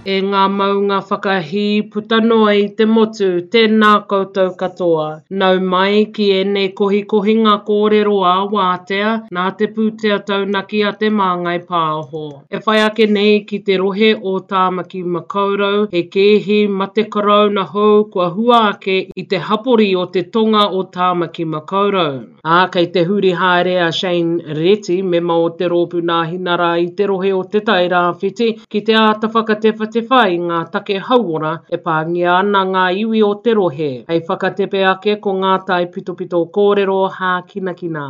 E ngā maunga whakahī puta noa i te motu, tēnā koutou katoa. Nau mai ki ēnei kohikohinga kōrero ā-wātea nā te pūtea taunaki a Te Māngai Pāho. E whai ake nei ki te rohe o Tāmaki Makaurau, he kēhi mate karauna hou kua hua ake i te hapori o te tonga o Tāmaki Makaurau. Ā, kei te huri haere a Shane Reti, mema o te Rōpū Nāhinara i te rohe o Te Tai Rāwhiti, ki te āta whakatewhatewha i ngā take hauora e pāngia ana ngā iwi o te rohe. Hei whakatepe ake ko ngā taipitopito kōrero hākinakina.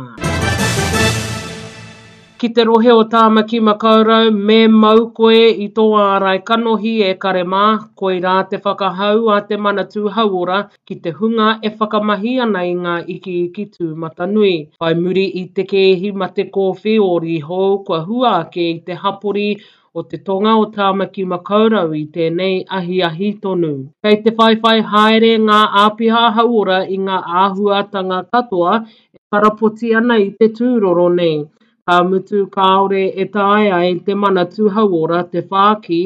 Ki te rohe o Tāmaki Makaurau, me mau koe i tō ārai kanohi e kare mā, koirā te whakahau a te Manatū Hauora ki te hunga e whakamahi ana i ngā ikiiki tūmatanui. Whai muri i te kēhi mate kōwhiori hou kua hua ake i te hapori o te tonga o Tāmaki Makaurau i tēnei ahiahi tonu. Kei te whaiwhai haere ngā āpiha hauora i ngā āhuatanga katoa e karapoti ana i te tūroro nei. Ka mutu kāore e taea e te Manatū Hauora te whāki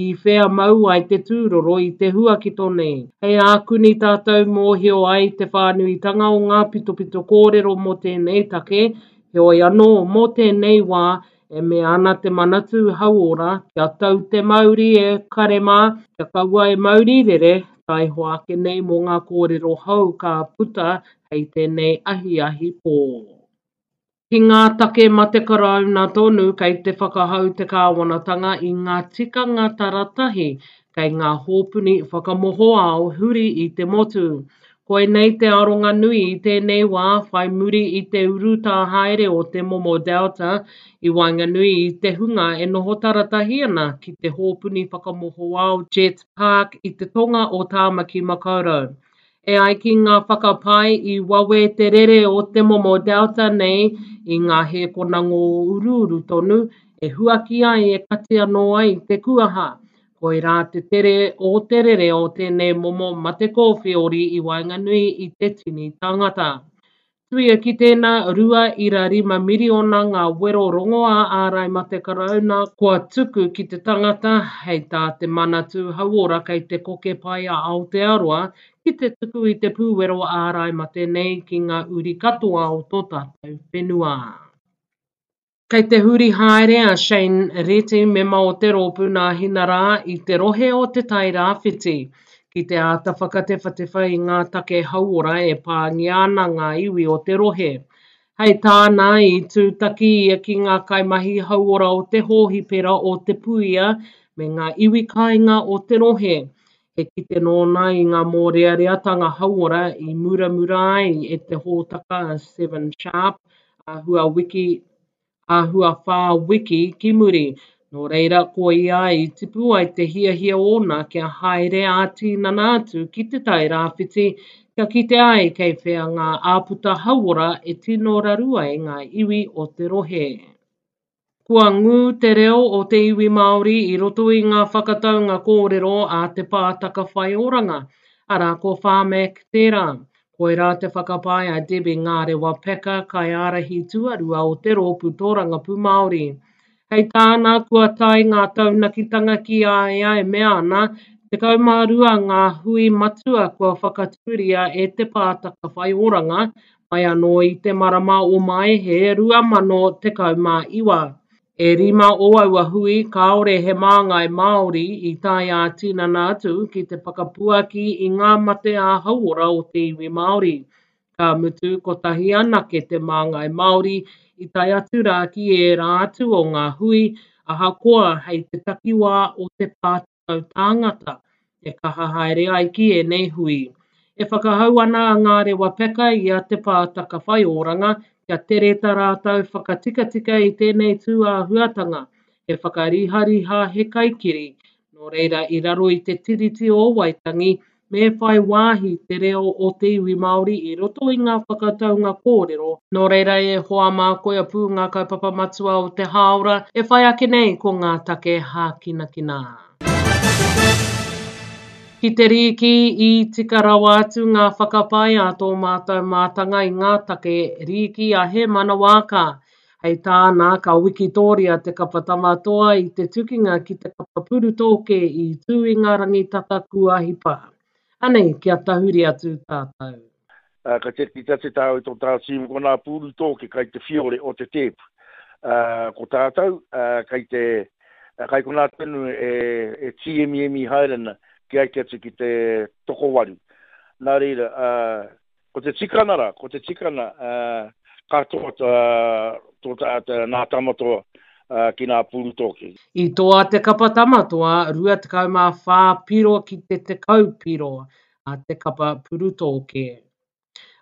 i whea mau ai te tūroro i te huakito nei. Hei ākuni tātou mōhio ai te whānuitanga o ngā pitopito kōrero mō tēnei take, heoi anō, mō tēnei wā, e mea ana te Manatū Hauora kia tau te mauri e kare mā, kia kaua e mauri rere, taihoa ake nei mō ngā kōrero hou ka puta hei tēnei ahiahi pō. Ki ngā take mate Karauna tonu kei te whakahau te kāwanatanga i ngā tikanga taratahi kei ngā hōpuni whakamohoao huri i te motu. Koinei te aronga nui i tēnei wā whai muri i te urutā haere o te momo Delta i waenganui i te hunga e noho taratahi ana ki te hōpuni whakamohoao Jet Park i te tonga o Tāmaki Makaurau. E ai ki ngā whakapae i wawe te rere o te momo Delta nei i ngā hēkona ngōuruuru tonu e huaki ai e kati anō ai te kuaha. Koirā te tere o te rere o tēnei momo mate kōwheori i waenganui i te tini tāngata. Tuia ki tēnā, 2.5 miriona ngā wero rongoā ārai mate karauna kua tuku ki te tangata, hei tā te Manatū Hauora kei te koke pai a Aotearoa ki te tuku i te pūwero ārai mate nei ki ngā uri katoa o tō tātou whenua. Kei te huri haere a Shane Reti, mema o te rōpū Nāhinarā i te rohe o Te Tai Rāwhiti, ki te āta whakatewhatewha i ngā take hauora e pāngia ana ngā iwi o te rohe. Hei tāna, i tūtaki ia ki ngā kaimahi hauora o te hōhipera o Te Puia me ngā iwi kāinga o te rohe. He kite nōna i ngā mōreareatanga hauora i muramura ai e te hōtaka Seven Sharp āhua wiki, āhua whā wiki ki muri. Nō reira, koia i tipu ai te hiahia ōna kia haere ā-tīnana atu ki Te Tai Rāwhiti, kia kite ai kei whea ngā āputa hauora e tino raru ai ngā iwi o te rohe. Kua ngū te reo o te iwi Māori i roto i ngā whakataunga kōrero a Te Pātaka Whaioranga, arā ko Pharmac tērā. Koirā te whakapae a Debbie Ngārewa Packer, kaiārahi tuarua o te Rōpū Tōrangapū Māori. Hei tāna, kua tae ngā taunakitanga ki a ia e mea ana, 12 ngā hui matua kua whakatūria e Te Pātaka Whaioranga mai anō i te marama o Maehe 2019. E rima o aua hui kāore he māngai Māori i tae ā-tinana atu ki te whakapuaki i ngā mate ā-hauora o te iwi Māori. Ka mutu, kotahi anake te māngai Māori i tae atu rā ki ērā atu o ngā hui, ahakoa hei te takiwā o te pā 10 tāngata e kaha haere ai ki ēnei hui. E whakahau ana a Ngārewa Peka i a Te Pātaka Whaioranga kia tere tā rātou whakatikatika i tēnei tū āhuatanga, he whakarihariha he kaikiri, nō reira i raro i te Tiriti o Waitangi Me whai wāhi te reo o te iwi Māori i roto i ngā whakataunga kōrero. Nō reira e hoa mā koia pū ngā kaupapa matua o te hāora e whai ake nei ko ngā take hākinakina. Ki te rīki, i tika rawa atu ngā whakapae a tō mātou mātanga i ngā take rīki a Hēmana Waaka. Hei tāna, ka wikitōria te kapa Tamatoa i te tukinga ki te kapa Purutōke i tū i ngā rangi tata kua hipa. Anei, kia tahuri atu tātou. Ā, ka tiaki atu tāu i tō tāu tīma ko nā Purutōke kai te whiore o te tēpu. Ā, ko tātou, ā, kai te, kai konā tonu e, e tīemiemi haere ana ki aiki atu ki te tokowaru. Nā reira, ā, Ko te tikana ra, ko te tikana, ka toa tō nā Tamatoa ki nā Pūrutōke. I toa te kapa Tamatoa 24 piro ki te 10 piro a te kapa Purutōke.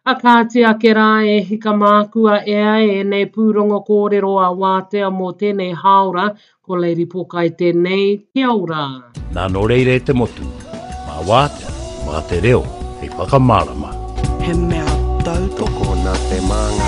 A kāti ake rā e hika mākua ea ēnei pūrongo kōrero a Wātea mō tēnei hāora, Ko Lady Pokai tēnei, kia ora! Nā nō reira e te motu, mā Wātea, mā te reo hei whakamārama. He mea tautoko. Tokona te māngai.